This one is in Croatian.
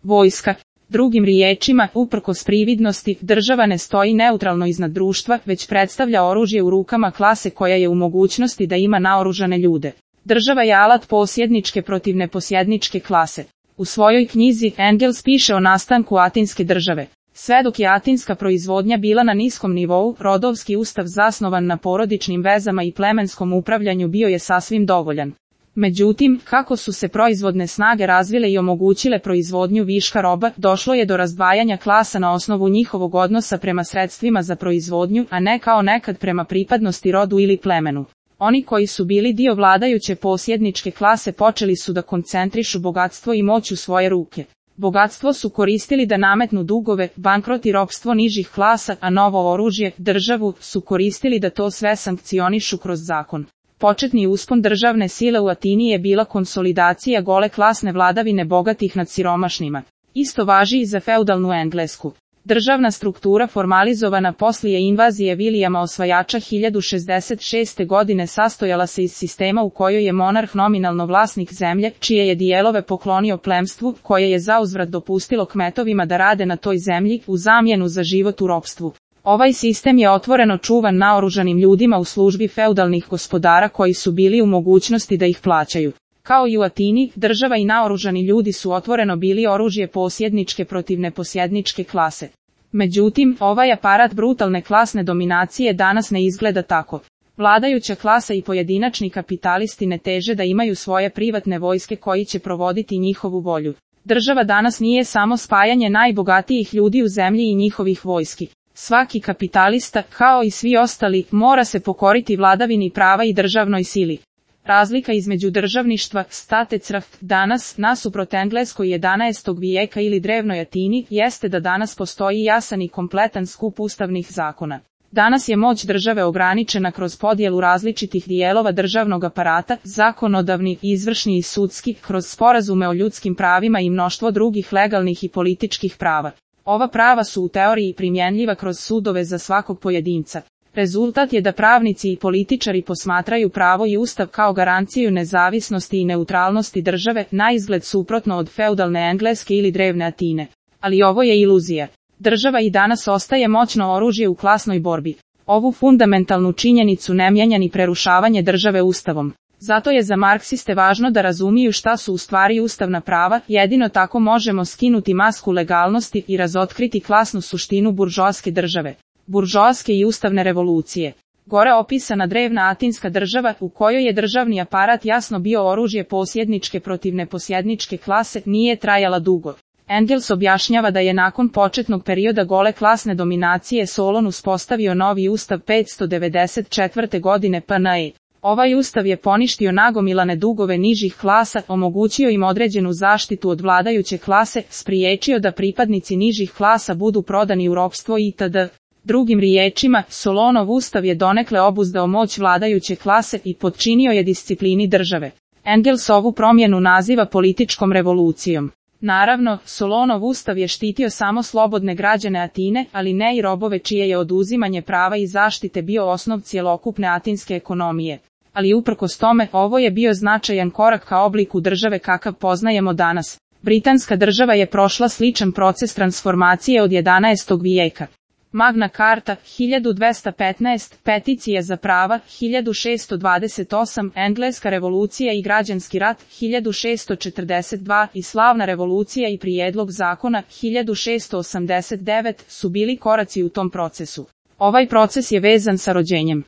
vojska. Drugim riječima, uprkos prividnosti, država ne stoji neutralno iznad društva, već predstavlja oružje u rukama klase koja je u mogućnosti da ima naoružane ljude. Država je alat posjedničke protiv neposjedničke klase. U svojoj knjizi Engels piše o nastanku atinske države. Sve dok je atinska proizvodnja bila na niskom nivou, rodovski ustav zasnovan na porodičnim vezama i plemenskom upravljanju bio je sasvim dovoljan. Međutim, kako su se proizvodne snage razvile i omogućile proizvodnju viška roba, došlo je do razdvajanja klasa na osnovu njihovog odnosa prema sredstvima za proizvodnju, a ne kao nekad prema pripadnosti rodu ili plemenu. Oni koji su bili dio vladajuće posjedničke klase počeli su da koncentrišu bogatstvo i moć u svoje ruke. Bogatstvo su koristili da nametnu dugove, bankrot i ropstvo nižih klasa, a novo oružje, državu, su koristili da to sve sankcionišu kroz zakon. Početni uspon državne sile u Atini je bila konsolidacija gole klasne vladavine bogatih nad siromašnima. Isto važi i za feudalnu Englesku. Državna struktura formalizovana poslije invazije Vilijama Osvajača 1066. godine sastojala se iz sistema u kojoj je monarh nominalno vlasnik zemlje, čije je dijelove poklonio plemstvu, koje je zauzvrat dopustilo kmetovima da rade na toj zemlji, u zamjenu za život u ropstvu. Ovaj sistem je otvoreno čuvan naoružanim ljudima u službi feudalnih gospodara koji su bili u mogućnosti da ih plaćaju. Kao i u Atini, država i naoružani ljudi su otvoreno bili oružje posjedničke protiv neposjedničke klase. Međutim, ovaj aparat brutalne klasne dominacije danas ne izgleda tako. Vladajuća klasa i pojedinačni kapitalisti ne teže da imaju svoje privatne vojske koji će provoditi njihovu volju. Država danas nije samo spajanje najbogatijih ljudi u zemlji i njihovih vojski. Svaki kapitalista, kao i svi ostali, mora se pokoriti vladavini prava i državnoj sili. Razlika između državništva, Staatsrecht, danas, nasuprot Engleskoj 11. vijeka ili drevnoj Atini, jeste da danas postoji jasan i kompletan skup ustavnih zakona. Danas je moć države ograničena kroz podjelu različitih dijelova državnog aparata, zakonodavni, izvršni i sudski, kroz sporazume o ljudskim pravima i mnoštvo drugih legalnih i političkih prava. Ova prava su u teoriji primjenljiva kroz sudove za svakog pojedinca. Rezultat je da pravnici i političari posmatraju pravo i ustav kao garanciju nezavisnosti i neutralnosti države, naizgled suprotno od feudalne Engleske ili drevne Atine. Ali ovo je iluzija. Država i danas ostaje moćno oružje u klasnoj borbi. Ovu fundamentalnu činjenicu ne mijenja ni prerušavanje države ustavom. Zato je za marksiste važno da razumiju šta su u stvari ustavna prava, jedino tako možemo skinuti masku legalnosti i razotkriti klasnu suštinu buržoaske države. Buržoaske i ustavne revolucije. Gore opisana drevna atinska država, u kojoj je državni aparat jasno bio oružje posjedničke protiv neposjedničke klase, nije trajala dugo. Engels objašnjava da je nakon početnog perioda gole klasne dominacije Solon uspostavio novi ustav 594. godine p.n.e. Ovaj ustav je poništio nagomilane dugove nižih klasa, omogućio im određenu zaštitu od vladajuće klase, spriječio da pripadnici nižih klasa budu prodani u ropstvo itd. Drugim riječima, Solonov ustav je donekle obuzdao moć vladajuće klase i potčinio je disciplini države. Engels ovu promjenu naziva političkom revolucijom. Naravno, Solonov ustav je štitio samo slobodne građane Atine, ali ne i robove čije je oduzimanje prava i zaštite bio osnov cjelokupne atinske ekonomije. Ali uprkos tome, ovo je bio značajan korak ka obliku države kakav poznajemo danas. Britanska država je prošla sličan proces transformacije od 11. vijeka. Magna Carta, 1215, Peticija za prava, 1628, Engleska revolucija i građanski rat, 1642, i Slavna revolucija i prijedlog zakona, 1689, su bili koraci u tom procesu. Ovaj proces je vezan sa rođenjem